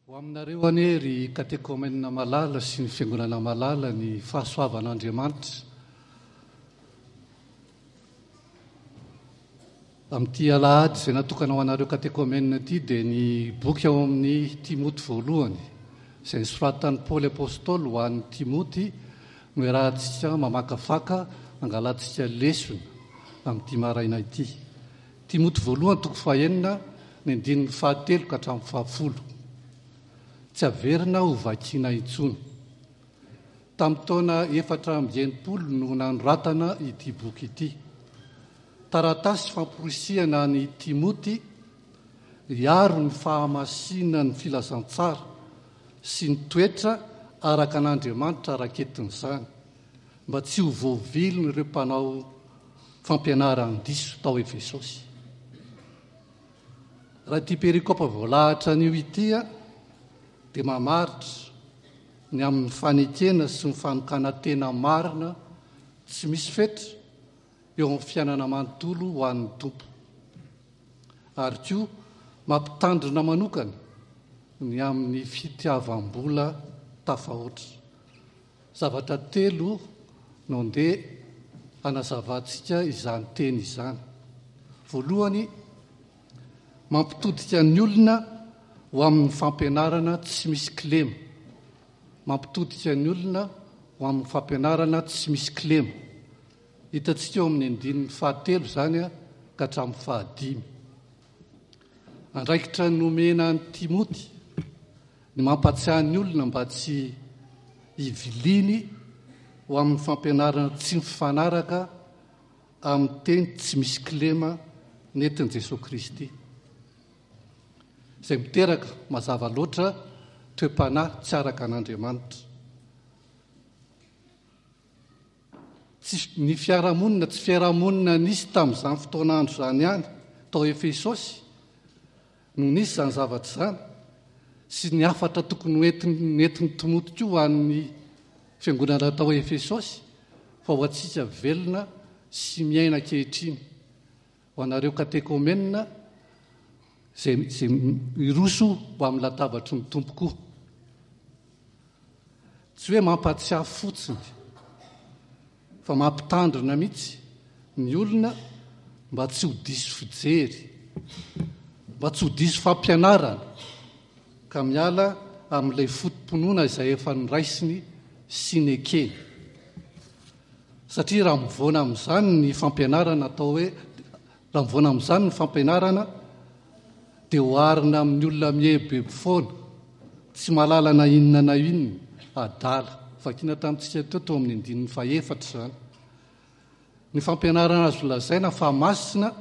Ho aminareo anie ry katekomenina malala sy ny fiangonana malala ny fahasoavan'Andriamanitra. Amin'ity alahady izay natokana ho anareo katekomenina ity dia ny boky ao amin'ny Timoty voalohany izay nosoratan'i Paoly Apostoly ho an'i Timoty no iarahantsika mamakafaka angalantsika lesona amin'ity maraina ity. Timoty voalohany toko fahenina ny andininy fahatelo ka hatramin'ny fahafolo. Tsy averina ho vakiana intsony. Tamin'ny taona 64 no nanoratana ity boky ity. Taratasy famporisihana an'i Timoty hiaro ny fahamasinan'ny filazantsara sy ny toetra araka an'Andriamanitra raketin'izany, mba tsy ho voavilin'ireo mpanao fampianaran-diso tao Efesosy. Raha ity perikopa voalahatra anio ity dia mamaritra ny amin'ny fanekena sy ny fanokanan-tena marina tsy misy fetra eo amin'ny fiainana manontolo ho an'ny Tompo. Ary koa mampitandrina manokana ny amin'ny fitiavam-bola tafahoatra. Zavatra telo no ndeha hanazavantsika izany teny izany. Voalohany, mampitodika ny olona ho amin'ny fampianarana tsy misy kilema. Mampitodika ny olona ho amin'ny fampianarana tsy misy kilema. Hitantsika eo amin'ny andininy fahatelo izany ka hatramin'ny fahadimy. Andraikitra nomena an'i Timoty ny mampahatsiahy ny olona mba tsy hiviliany ho amin'ny fampianarana tsy mifanaraka amin'ny teny tsy misy kilema nentin'i Jesoa Kristy, izay miteraka mazava loatra toe-panahy tsy araka an'Andriamanitra. Tsy ny fiarahamonina, tsy fiarahamonina nisy tamin'izany fotoan'andro izany ihany tao Efesosy no nisy izany zavatra izany, sy ny hafatra tokony ho entiny nentin'i Timoty koa ho an'ny fiangonana tao Efesosy, fa ho antsika velona sy miaina ankehitriny, ho anareo katekomenina izay izay miroso ho amin'ny latabatry ny Tompo koa. Tsy hoe mampahatsiahy fotsiny fa mampitandrina mihitsy ny olona mba tsy ho diso fijery, mba tsy ho diso fampianarana ka miala amin'ilay foto-pinoana izay efa noraisiny sy nekeny. Satria raha mivoana amin'izany ny fampianarana atao hoe raha mivoana amin'izany ny fampianarana dia oharina amin'ny olona mihebobebo foana, tsy mahalala na inona na inona, adala. Vakina tamintsika teo teo amin'ny andininy fahefatra izany. Ny fampianarana azo lazaina fa masina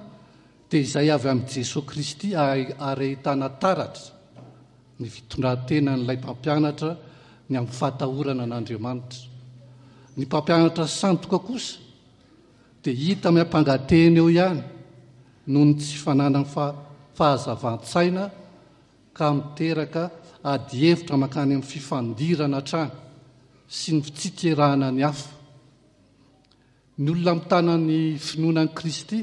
dia izay avy amin'i Jesoa Kristy ary ahitana taratra ny fitondran-tenan'ilay mpampianatra ny amin'ny fahatahorana an'Andriamanitra. Ny mpampianatra sandoka kosa dia hita miampanga-tena eo ihany noho ny tsy fananany fahazavan-tsaina ka miteraka adihevitra mankany amin'ny fifandirana hatrany sy ny fitsikerana ny hafa. Ny olona mitana ny finoana an'i Kristy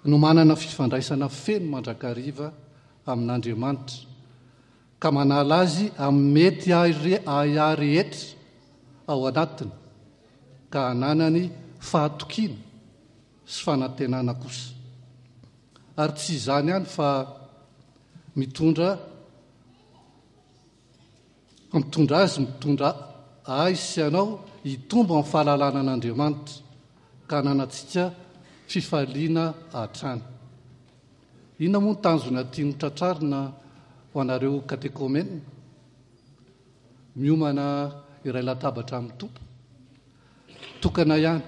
no manana fifandraisana feno mandrakariva amin'Andriamanitra ka manala azy amin'ny mety ahiahy rehetra ao anatiny ka ananany fahatokiana sy fanantenana kosa. Ary tsy izany ihany fa mitondra mitondra azy mitondra ahy sy anao hitombo amin'ny fahalalana an'Andriamanitra ka hananantsika fifaliana hatrany. Inona moa ny tanjona tiany tratrarina ho anareo katekomena? Miomana iray latabatra amin'ny Tompo. Tokana ihany.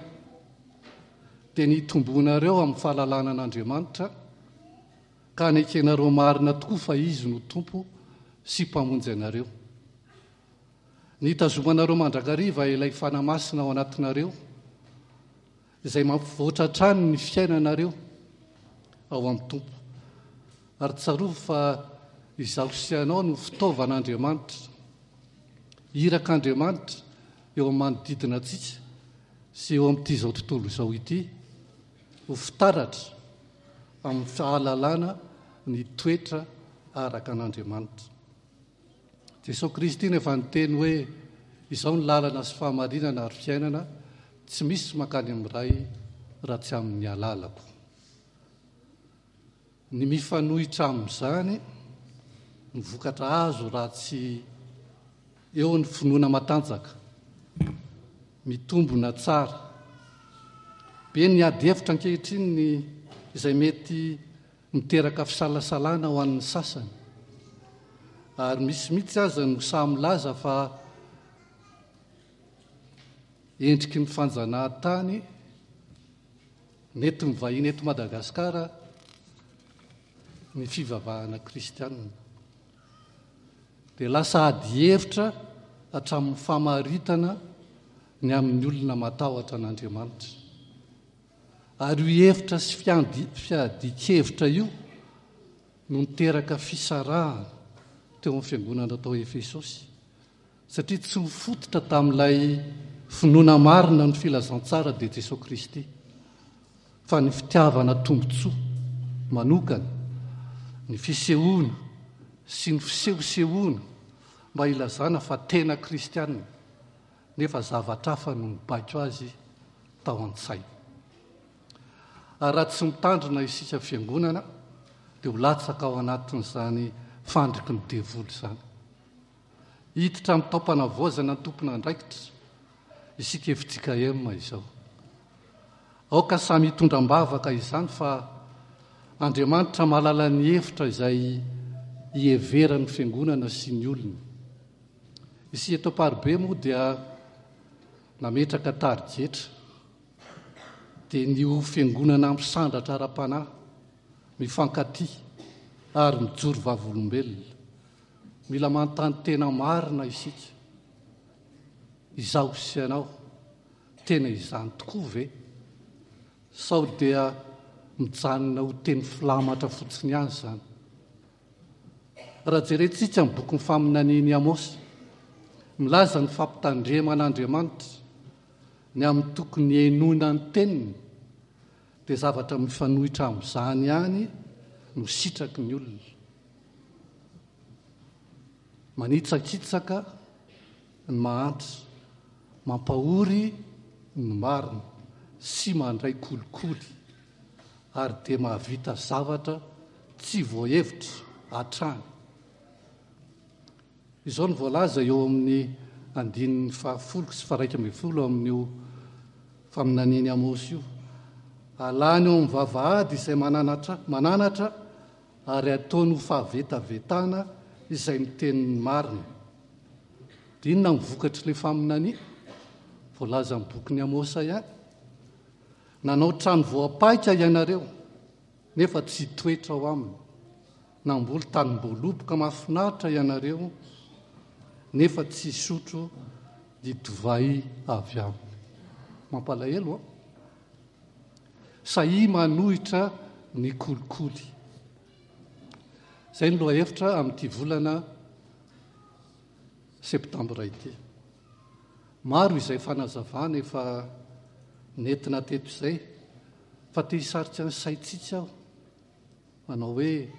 Dia ny hitomboanareo amin'ny fahalalana an'Andriamanitra ka hanekenareo marina tokoa fa Izy no Tompo sy Mpamonjy anareo. Ny hitazomanareo mandrakariva ilay Fanahy Masina ao anatinareo, izay mampivoatra hatrany ny fiainanareo ao amin'ny Tompo. Ary tsarovy fa izaho sy ianao no fitaovan'Andriamanitra, irak'Andriamanitra eo amin'ny manodidina antsika sy eo amin'ity izao tontolo izao ity, ho fitaratra amin'ny fahalalana ny toetra araka an'Andriamanitra. Jesoa Kristy no efa niteny hoe, Izao ny lalana sy fahamarinana ary fiainana, tsy misy mankany amin'ny Ray raha tsy amin'ny alalako. Ny mifanohitra amin'izany, ny vokatra azo raha tsy eo ny finoana matanjaka, mitombina tsara. Be ny ady hevitra ankehitriny ny izay mety miteraka fisalasalana ho an'ny sasany. Ary misy mihitsy aza no sahy milaza fa endriky ny fanjanahantany Nentin'ny vahiny eto Madagasikara ny fivavahana kristianina. Dia lasa ady hevitra hatramin'ny famaritana ny amin'ny olona matahotra an'Andriamanitra. Ary io hevitra sy fiadian-kevitra io no niteraka fisarahana teo amin'ny fiangonana tao Efesosy. Satria tsy mifototra tamin'ilay finoana marina ny filazantsara dia Jesoa Kristy, fa ny fitiavana tombontsoa manokana, ny fisehoana sy ny fisehosehoana mba hilazana fa tena kristiana, nefa zavatra hafa no nibaiko azy tao an-tsainy. Ary raha tsy mitandrina isika fiangonana dia ho latsaka ao anatin'izany fandriky ny devoly izany. Hiditra amin'ny taom-panavaozana ny tompon'andraikitra isika fjkm izao. Aoka samy hitondra am-bavaka izany fa Andriamanitra mahalala ny hevitra izay iheveran'ny fiangonana sy ny olony. Isika eto Amparibe moa dia nametraka tarigetra dia ny ho fiangonana misandratra ara-panahy, mifankatia ary mijoro vavolombelona. Mila manontany tena marina isika. Izaho sy ianao, tena izany tokoa ve? Sao dia mijanona ho teny filamatra fotsiny ihany izany? Raha jerentsika ny bokin'ny faminanian'i Amosa, milaza ny fampitandreman'Andriamanitra ny amin'ny tokony henoina ny teniny, dia zavatra mifanohitra amin'izany ihany no sitraky ny olona. Manitsakitsaka ny mahantra, mampahory ny marina sy mandray kolikoly ary dia mahavita zavatra tsy voahevitra hatrany. Izao no voalaza eo amin'ny andininy fahafolo sy faharaika ambin'ny folo amin'io faminanian'i Amosy io, Alany eo amin'ny vavahady izay mananatra, mananatra ary ataony ho fahavetavetana izay miteny ny marina. Dia inona ny vokatr'ilay faminania? Voalazan'ny bokin'i Amosa ihany. Nanao trano voapaika ianareo, nefa tsy hitoetra ao aminy. Namboly tanim-boaloboka mahafinaritra ianareo, nefa tsy hisotro ny divay avy aminy. Mampalahelo an! Sahia manohitra ny kolikoly. Izay ny lohahevitra amin'ity volana septambra ity. Maro izay fanazavana efa nentina teto izay fa te hisarika ny saintsika aho manao hoe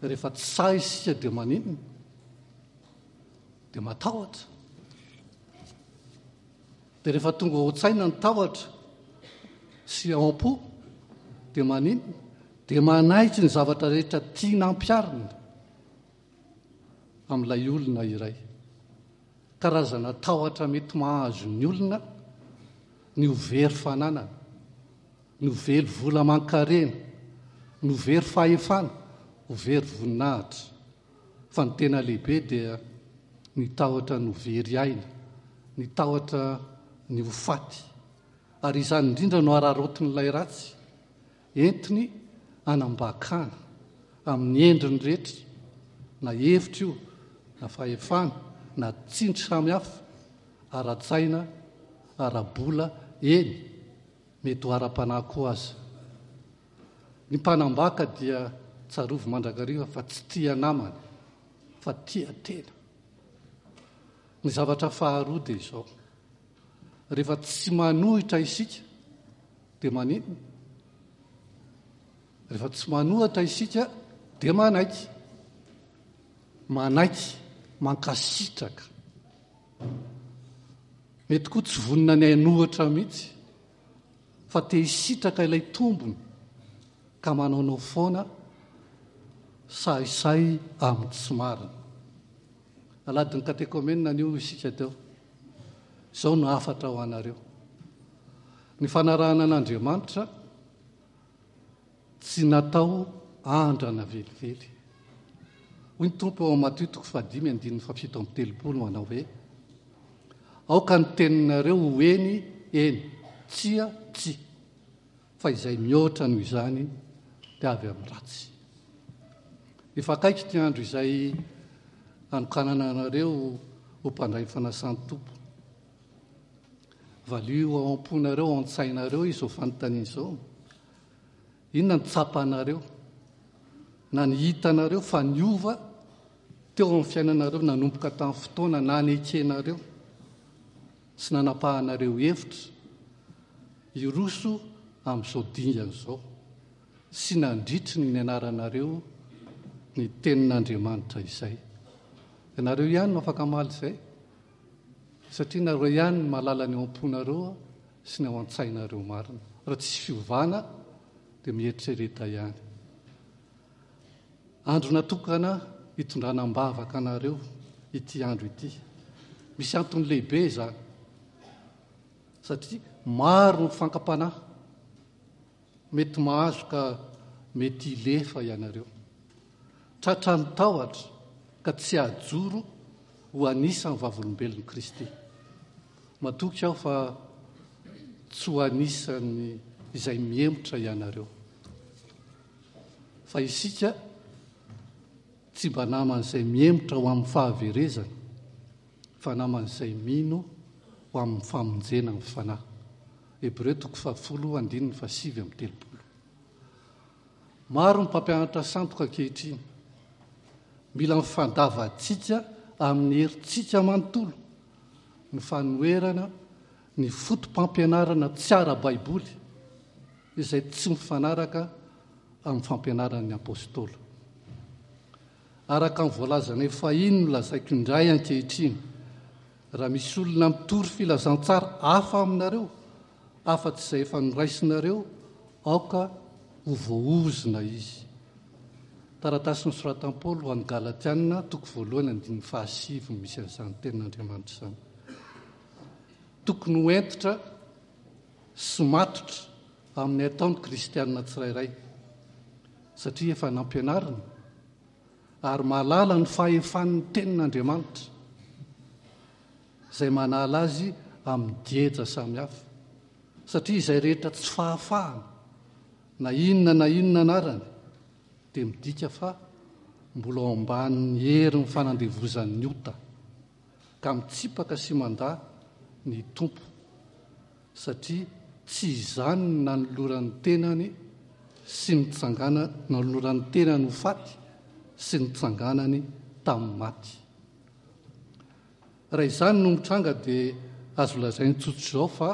rehefa tsy sahy isika dia maninona? Dia matahotra. Dia rehefa tonga ao an-tsaina ny tahotra sy ao am-po dia maninona? Dia manaiky ny zavatra rehetra tiana ampiharina amin'ilay olona iray. Karazana tahotra mety mahazo ny olona ny ho very fananana, ny ho very vola aman-karena, ny ho very fahefana, ho very voninahitra. Fa ny tena lehibe dia ny tahotra ny ho very aina, ny tahotra ny ho faty. Ary izany indrindra no araraotin'ilay ratsy, entiny hanambakana amin'ny endriny rehetra, na hevitra io, na fahefana, na tsindry samihafa, ara-tsaina, ara-bola, eny, mety ho ara-panahy koa aza. Ny mpanambaka dia tsarovy mandrakariva fa tsy tia namana fa tia tena. Ny zavatra faharoa dia izao, rehefa tsy manohitra isika dia maninona? Rehefa tsy manohatra isika dia manaiky. Manaiky. mankasitraka. Mety koa tsy vonona ny hainohatra mihitsy fa te hisitraka ilay tombony ka manaonao foana sahisahy amin'ny tsy marina. Aladin'ny katekomenina anio isika teo. Izao no hafatra ho anareo. Ny fanarahana an'Andriamanitra Tsy natao andrana velively. Hoy ny Tompo ao amin'ny Matio toko fahadimy andininy fahafito amby telopolo manao hoe, Aoka ny teninareo ho eny, eny, tsia, tsia, fa izay mihoatra noho izany dia avy amin'ny ratsy. Efa akaiky ity andro izay hanokanana anareo ho mpandray ny fanasan'ny Tompo. Valio ao am-ponareo, ao an-tsainareo izao fanontaniana izao. Inona no tsapanareo na ny hitanareo fa niova teo amin'ny fiainanareo nanomboka tamin'ny fotoana nanekenareo sy nanapahanareo hevitra hiroso amin'izao dingana izao sy nandritry ny nianaranareo ny tenin'Andriamanitra izay? Ianareo ihany no afaka hamaly izay satria nareo ihany no mahalala ny ao am-ponareo sy ny ao an-tsainareo marina. Raha tsisy fiovana dia mieritrereta ihany. Andro natokana hitondrana am-bavaka anareo ity andro ity. Misy antony lehibe izany. Satria maro ny fankam-panahy mety mahazo ka mety hilefa ianareo. Tratran'ny tahotra ka tsy hahajoro ho anisan'ny vavolombelon'i Kristy. Matoky aho fa tsy ho anisan'ny izay mihemotra ianareo. Fa isika tsy mba naman'izay mihemotra ho amin'ny fahaverezana, fa naman'izay mino ho amin'ny famonjena ny fanahy. Hebreo toko fahafolo andininy fahasivy amby telopolo. Maro ny mpampianatra sandoka ankehitriny. Mila mifandavantsika amin'ny herintsika manontolo ny fanoherana ny fotopampianarana tsy ara-baiboly izay tsy mifanaraka amin'ny fampianaran'ny Apôstôly. Araka ny voalazanay fahiny no lazaiko indray ankehitriny, raha misy olona mitory filazantsara hafa aminareo afa-tsy izay efa noraisinareo, aoka ho voaozona izy. Taratasy nosoratan'i Paoly ho an'ny Galatiana, toko voalohany andininy fahasivy no misy an'izany tenin'Andriamanitra izany. Tokony ho hentitra sy matotra amin'ny atao ny kristiana tsirairay, satria efa nampianarina ary mahalala ny fahefan'ny tenin'Andriamanitra izay manala azy amin'ny geja samihafa, satria izay rehetra tsy fahafahana na inona na inona anarany dia midika fa mbola ao ambanin'ny herin'ny fanandevozan'ny ota ka mitsipaka sy mandà ny Tompo satria tsy izany ny nanoloran'ny tenany sy nitsangana nanoloran'ny tenany ho faty sy nitsanganany tamin'ny maty. Raha izany no mitranga dia azo lazaina tsotr'izao fa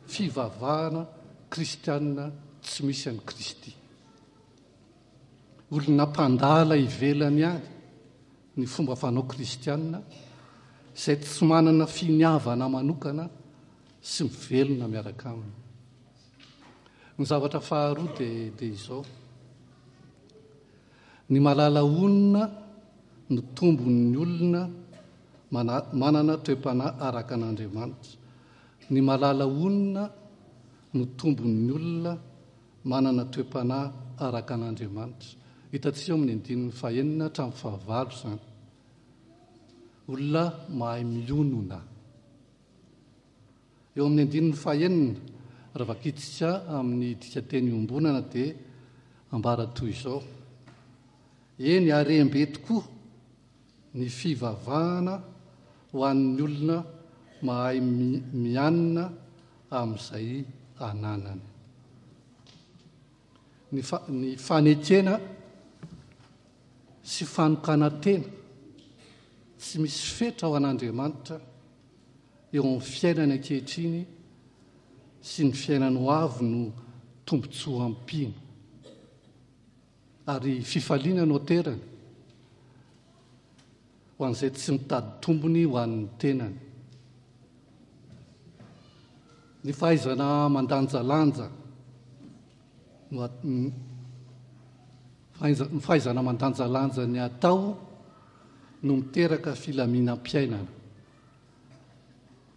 fivavahana kristianina tsy misy an'i Kristy. Olona mpandala ivelany ihany ny fomba fanao kristianina izay tsy manana finiavana manokana sy mivelona miaraka aminy. Ny zavatra faharoa dia dia izao. Ny malala honina no tombon'ny olona manana toe-panahy araka an'Andriamanitra. Ny malala honina no tombon'ny olona manana toe-panahy araka an'Andriamanitra. Hitantsika eo amin'ny andininy fahenina hatramin'ny fahavalo izany. Olona mahay mionona. Eo amin'ny andininy fahenina, raha vakintsika amin'ny dikanteny iombonana dia ambara toy izao, Eny, harem-be tokoa ny fivavahana ho an'ny olona mahay mianina amin'izay ananany. Ny, ny fanekena sy fanokanan-tena tsy misy fetra ho an'Andriamanitra eo amin'ny fiainany ankehitriny sy ny fiainany ho avy no tombontsoa ampiana ary fifaliana no aterany. ho an'izay tsy mitady tombony ho an'ny tenany. Ny fahaizana mandanjalanja no ny fahaizana mandanjalanja ny atao no miteraka filaminam-piainana.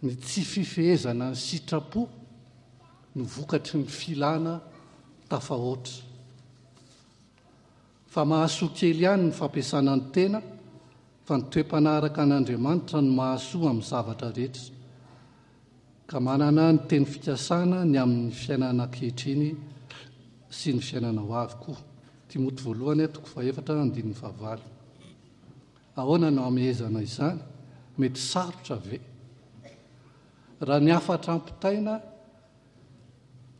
Ny tsy fifehezana ny sitrapo no vokatry ny filana tafahoatra. Fa mahasoa kely ihany ny fampiasana ny tena fa ny toe-panaraka an'Andriamanitra no mahasoa amin'ny zavatra rehetra. Ka manana ny teny fikasana ny amin'ny fiainana ankehitriny sy ny fiainana ho avy koa. Timoty voalohany toko fahefatra andininy fahavalo. Ahoana no hamehezana izany? Mety sarotra ve? Raha ny hafatra ampitaina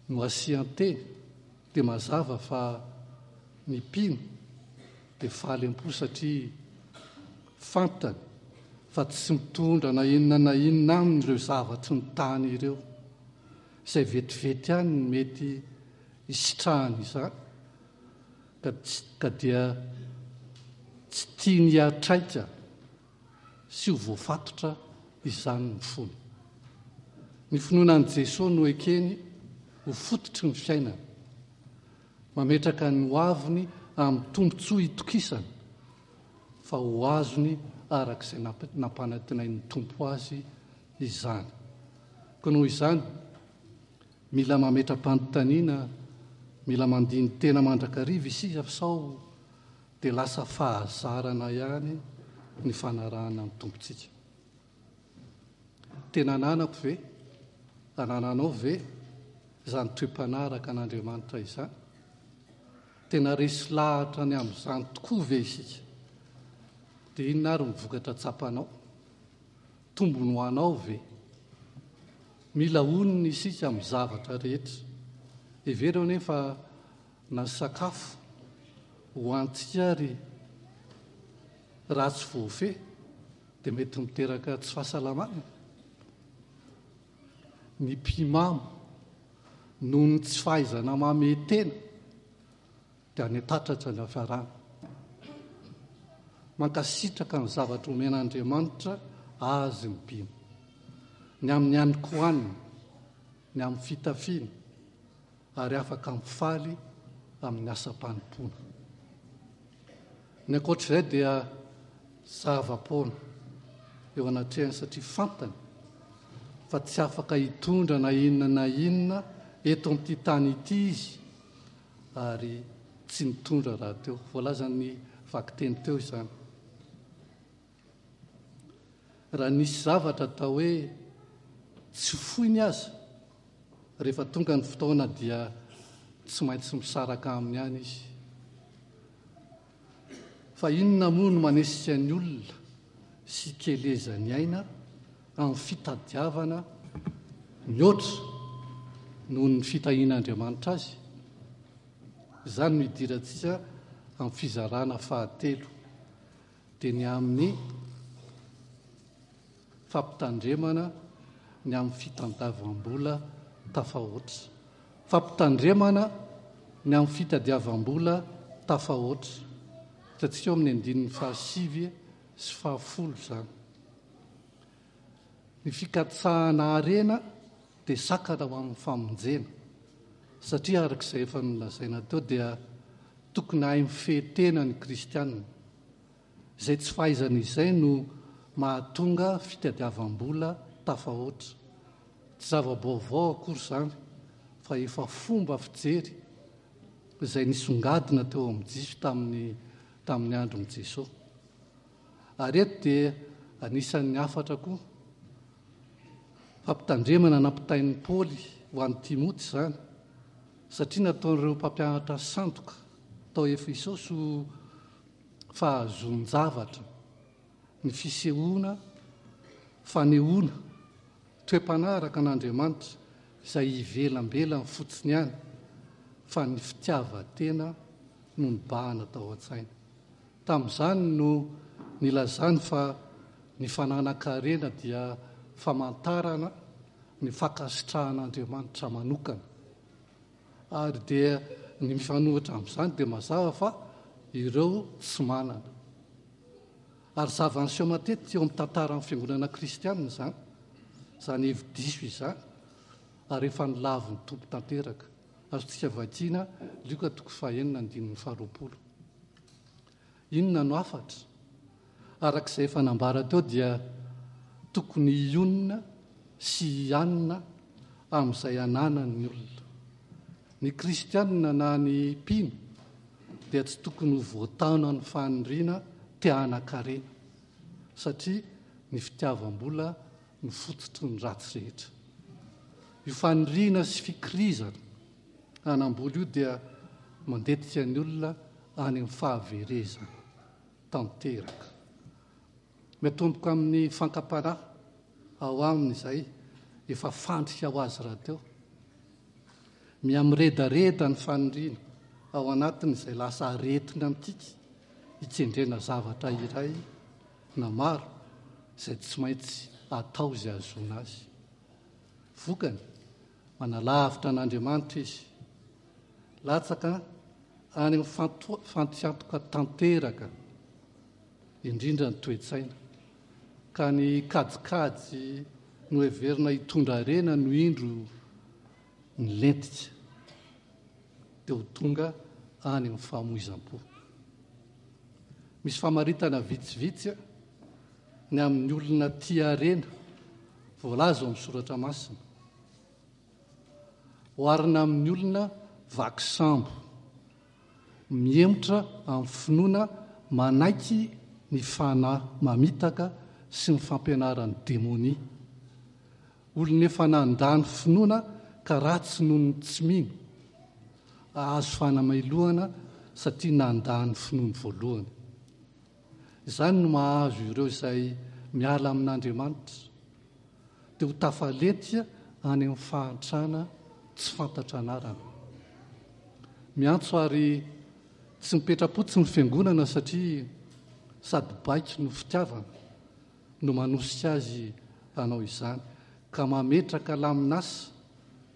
no asian-teny dia mazava fa ny mpino dia faly am-po satria fantany fa tsy mitondra na inona na inona aminy ireo zavatry ny tany ireo. Izay vetivety ihany no mety hisitrahany izany ka ka dia tsy tiany hiatraika sy ho voafatotra izany ny fony. Ny finoana an'i Jesoa no ekeny ho fototry ny fiainany. Mametraka ny hoaviny amin'ny tombontsoa itokisany fa ho azony araka izay nampanantenain'ny Tompo azy izany. Koa noho izany, mila mametra-panontaniana, mila mandini-tena mandrakariva isika sao dia lasa fahazarana ihany ny fanarahana ny Tompontsika. Tena ananako ve, anananao ve izany toe-panaraka an'Andriamanitra izany? Tena resy lahatra ny amin'izany tokoa ve isika? Dia inona ary ny vokatra tsapanao? Tombony ho anao ve? Mila onona isika amin'ny zavatra rehetra. Hevero anefa na ny sakafo ho antsika ary raha tsy voafehy dia mety miteraka tsy fahasalamana. Ny mpimamo noho ny tsy fahaizana mamehy tena dia any an-tatratra ny hafarana. Mankasitraka ny zavatra omen'Andriamanitra azy ny mpino. Ny amin'ny hanin-kohaniny, ny amin'ny fitafiana, ary afaka mifaly amin'ny asam-panompoana. Ny ankoatr'izay dia zava-poana eo anatrehany satria fantany fa tsy afaka hitondra na inona na inona eto amin'ity tany ity izy ary tsy nitondra rahateo. Voalazan'ny vakiteny teo izany. Raha nisy zavatra atao hoe tsy foiny aza, rehefa tonga ny fotoana dia tsy maintsy misaraka aminy ihany izy. Fa inona moa no manesika ny olona sy ikelezany aina amin'ny fitadiavana mihoatra noho ny fitahian'Andriamanitra azy? Izany no idirantsika amin'ny fizarana fahatelo. dia ny amin'ny fampitandremana ny amin'ny fitantavam-bola tafahoatra. Fampitandremana ny amin'ny fitadiavam-bola tafahoatra. Hitantsika ao amin'ny andininy fahasivy sy fahafolo izany. Ny fikatsahana harena dia sakana ho amin'ny famonjena, satria araka izay efa nolazaina teo dia tokony hahay mifehy tena ny kristiana. Izay tsy fahaizana izay no mahatonga fitadiavam-bola tafahoatra. Tsy zava-baovao akory izany fa efa fomba fijery izay nisongadina teo amin'ny Jiosy tamin'ny tamin'ny andron'i Jesoa. Ary eto dia anisan'ny hafatra koa fampitandremana nampitain'i Paoly ho an'i Timoty izany, satria nataon'ireo mpampianatra sandoka tao Efesosy ho fahazoan-javatra ny fisehoana fanehoana toe-panahy araka an'Andriamanitra izay ivelambelany fotsiny ihany fa ny fitiavan-tena no nibahana tao an-tsaina. Tamin'izany no nilazany fa ny fananan-karena dia famantarana ny fankasitrahan'Andriamanitra manokana. Ary dia ny mifanohitra amin'izany dia mazava fa ireo tsy manana. Ary zava-niseho matetika eo amin'ny tantaran'ny fiangonana kristianina izany, izany hevi-diso izany, ary efa nolavin'ny Tompo tanteraka. Azontsika vakiana Lioka toko fahenina andininy faharoapolo. Inona no hafatra? Araka izay efa nambara teo dia tokony hionona sy hianina amin'izay ananany ny olona. Ny kristianina na ny mpino dia tsy tokony ho voataonan'ny faniriana te hanan-karena satria ny fitiavam-bola no fototry ny ratsy rehetra. Io faniriana sy fikirizana hanam-bola io dia mandetika ny olona any amin'ny fahaverezana tanteraka. Miatomboka amin'ny fankam-panahy ao aminy izay efa fandrika ho azy rahateo. Mihamiredareda ny faniriana ao anatiny izay lasa aretina mikiky hikendrena zavatra iray na maro izay tsy maintsy atao izay hahazoana azy. Vokany, manalavitra an'Andriamanitra izy. Latsaka any amin'ny fantiantoka tanteraka indrindra ny toe-tsaina, ka ny kajikajy noheverina hitondra harena no indro nilentika, dia ho tonga any amin'ny famoizam-po. Misy famaritana vitsivitsy ny amin'ny olona tia harena voalaza ao amin'ny soratra masina. Oharina amin'ny olona vaky sambo, mihemotra amin'ny finoana manaiky ny fanahy mamitaka sy ny fampianaran'ny demonia. Olona efa nandà ny finoana ka ratsy noho ny tsy mino, hahazo fanamelohana satria nandà ny finoany voalohany. Izany no mahazo ireo izay miala amin'Andriamanitra. dia ho tafalentika any amin'ny fahantrana tsy fantatra anarana. Miantso ary tsy mipetra-potsiny ny fiangonana satria sady baiko no fitiavana no manosika azy hanao izany ka mametraka lamin'asa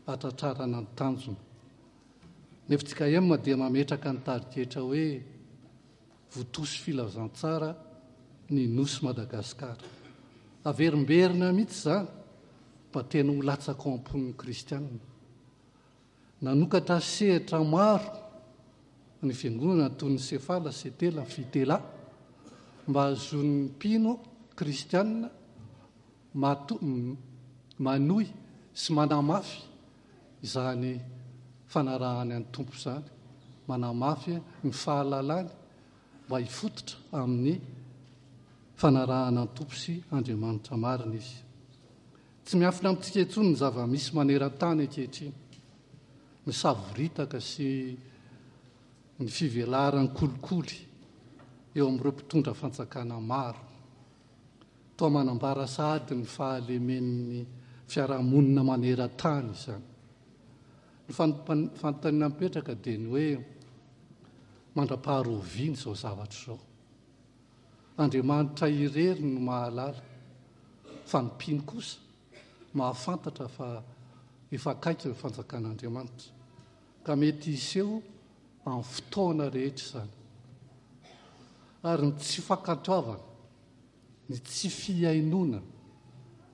hatratrarana ny tanjona. Ny fjkm dia mametraka ny tarigetra hoe Votosy filazantsara ny Nosy Madagasikara. Averimberina mihitsy izany mba tena ho latsaka ao am-pon'ny kristianina. Nanokatra sehatra maro ny fiangonana toy ny Sefala, Setela, Fitela mba hahazoan'ny mpino kristianina manohy sy manamafy izany fanarahany an'ny Tompo izany, manamafy ny fahalalany mba hifototra amin'ny fanarahana ny Tompo sy Andriamanitra marina izy. Tsy miafina amintsika intsony ny zava-misy maneran-tany ankehitriny. Ny savoritaka sy ny fivelaran'ny kolikoly eo amin'ireo mpitondra fanjakana maro. Toa manambara sahady ny fahalemen'ny fiarahamonina maneran-tany izany. Ny fanontaniana mipetraka dia ny hoe mandra-paharoviana izao zavatra izao. Andriamanitra irery no mahalala, fa ny mpino kosa mahafantatra fa efa akaiky ny fanjakan'Andriamanitra, ka mety hiseho amin'ny fotoana rehetra izany. Ary ny tsy fankatoavana ny tsy fihainoana,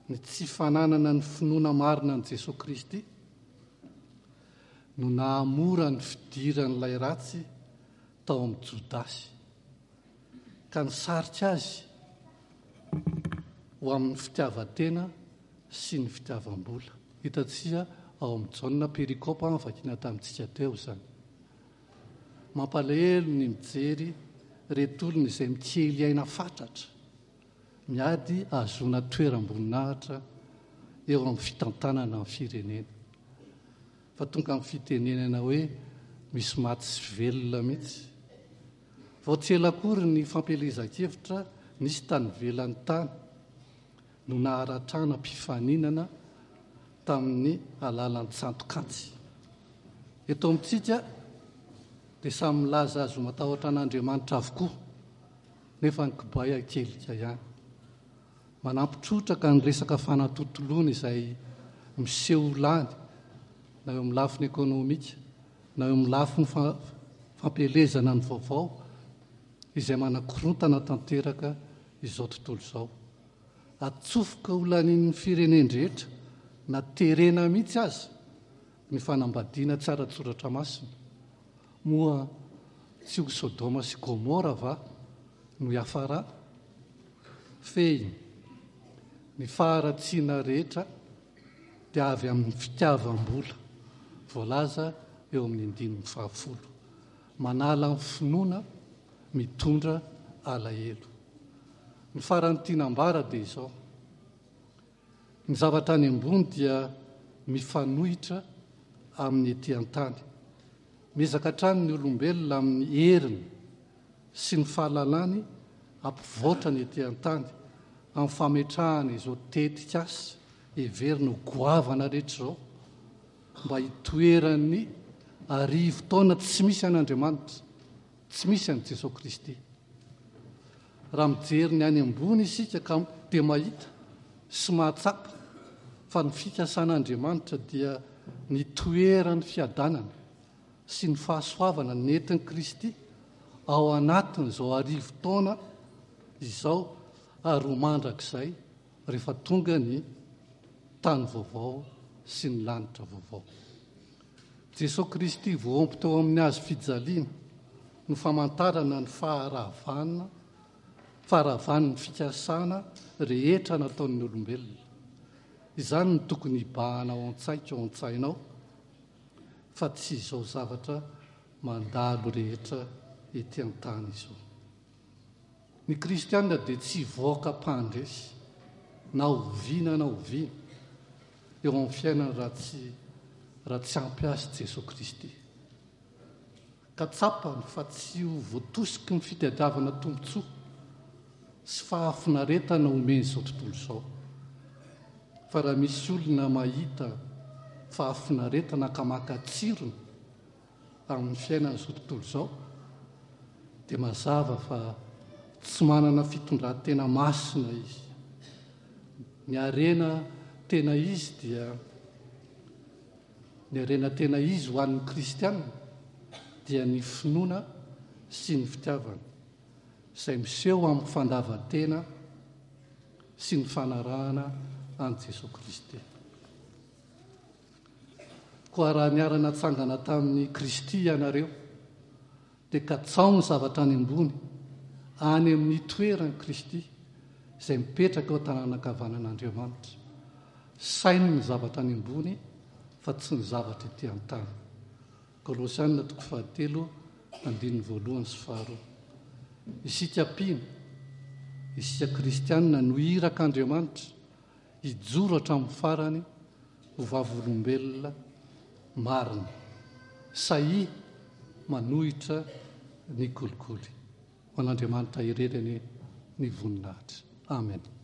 ny tsy fananana ny finoana marina an'i Jesoa Kristy no nahamora ny fidiran'ilay ratsy tao amin'i Jodasy, ka nisarika azy ho amin'ny fitiavan-tena sy ny fitiavam-bola. Hitantsika ao amin'i Jaona perikopa vakiana tamintsika teo izany. Mampalahelo ny mijery ireto olona izay mikely aina fatratra, miady hahazoana toeram-boninahitra eo amin'ny fitantanana ny firenena. Fa tonga amin'ny fitenenana hoe misy maty sy velona mihitsy. Vao tsy ela akory ny fampielezan-kevitra nisy tany ivelany tany no naharatrana mpifaninana tamin'ny alalan'ny tsantok'antsy. Eto amintsika dia samy milaza azy ho matahotra an'Andriamanitra avokoa, nefa ny kibay akelika ihany. Manampy trotraka ny resaka fanatontoloana izay miseho ho lany na eo amin'ny lafiny ekonomika na eo amin'ny lafiny fampielezana ny vaovao izay manakorontana tanteraka izao tontolo izao. Atsofoka ho lanian'ny firenen-drehetra na terena mihitsy aza ny fanambadiana tsy ara-tsoratra masina. Moa tsy ho Sodoma sy Gomora va no hiafarana? Fehiny, ny faharatsiana rehetra dia avy amin'ny fitiavam-bola, voalaza eo amin'ny andininy fahafolo. Manala ny finoana, mitondra alahelo. Ny farany tiana ambara dia izao, ny zavatra any ambony dia mifanohitra amin'ny ety an-tany. Miezaka hatrany ny olombelona amin'ny heriny sy ny fahalalany hampivoatra ny ety an-tany amin'ny fametrahana izao tetikasa heverina ho goavana rehetra izao mba hitoeran'ny arivotaona tsy misy an'Andriamanitra, tsy misy an'i Jesoa Kristy. Raha mijery ny any ambony isika ka dia mahita sy mahatsapa fa ny fikasan'Andriamanitra dia ny toeran'ny fiadanana sy ny fahasoavana nentin'i Kristy ao anatin'izao arivotaona izao ary ho mandrakizay rehefa tonga ny tany vaovao sy ny lanitra vaovao. Jesoa Kristy voaompo teo amin'ny hazo fijaliana no famantarana ny faharavana, faharavan'ny fikasana rehetra nataon'ny olombelona. Izany no tokony hibahana ao an-tsaiko, ao an-tsainao, fa tsy izao zavatra mandalo rehetra ety an-tany izao. Ny kristiana dia tsy hivoaka mpandresy na oviana na oviana eo amin'ny fiainany raha tsy raha tsy ampy azy Jesoa Kristy. Ka tsapany fa tsy ho voatosiky ny fitadiavana tombontsoa sy fahafinaretana omen'izao tontolo izao. Fa raha misy olona mahita fahafinaretana ka maka tsirony amin'ny fiainan'izao tontolo izao dia mazava fa tsy manana fitondran-tena masina izy. Ny harena tena izy dia ny harena tena izy ho an'ny kristiana dia ny finoana sy ny fitiavana izay miseho amin'ny fandavan-tena sy ny fanarahana an'i Jesoa Kristy. Koa raha niara-natsangana tamin'i Kristy ianareo, dia katsaho ny zavatra any ambony, any amin'ny toeran'i Kristy, izay mipetraka eo an-tanàna ankavanan'Andriamanitra. Saino ny zavatra any ambony, fa tsy ny zavatra ety an-tany. Kolosiana toko fahatelo, andininy voalohany sy faharoa. Isika mpino, isika kristiana no irak'Andriamanitra, hijoro hatramin'ny farany ho vavolombelona marina, sahia manohitra ny kolikoly. Ho an'Andriamanitra irery anie ny voninahitra. Amen.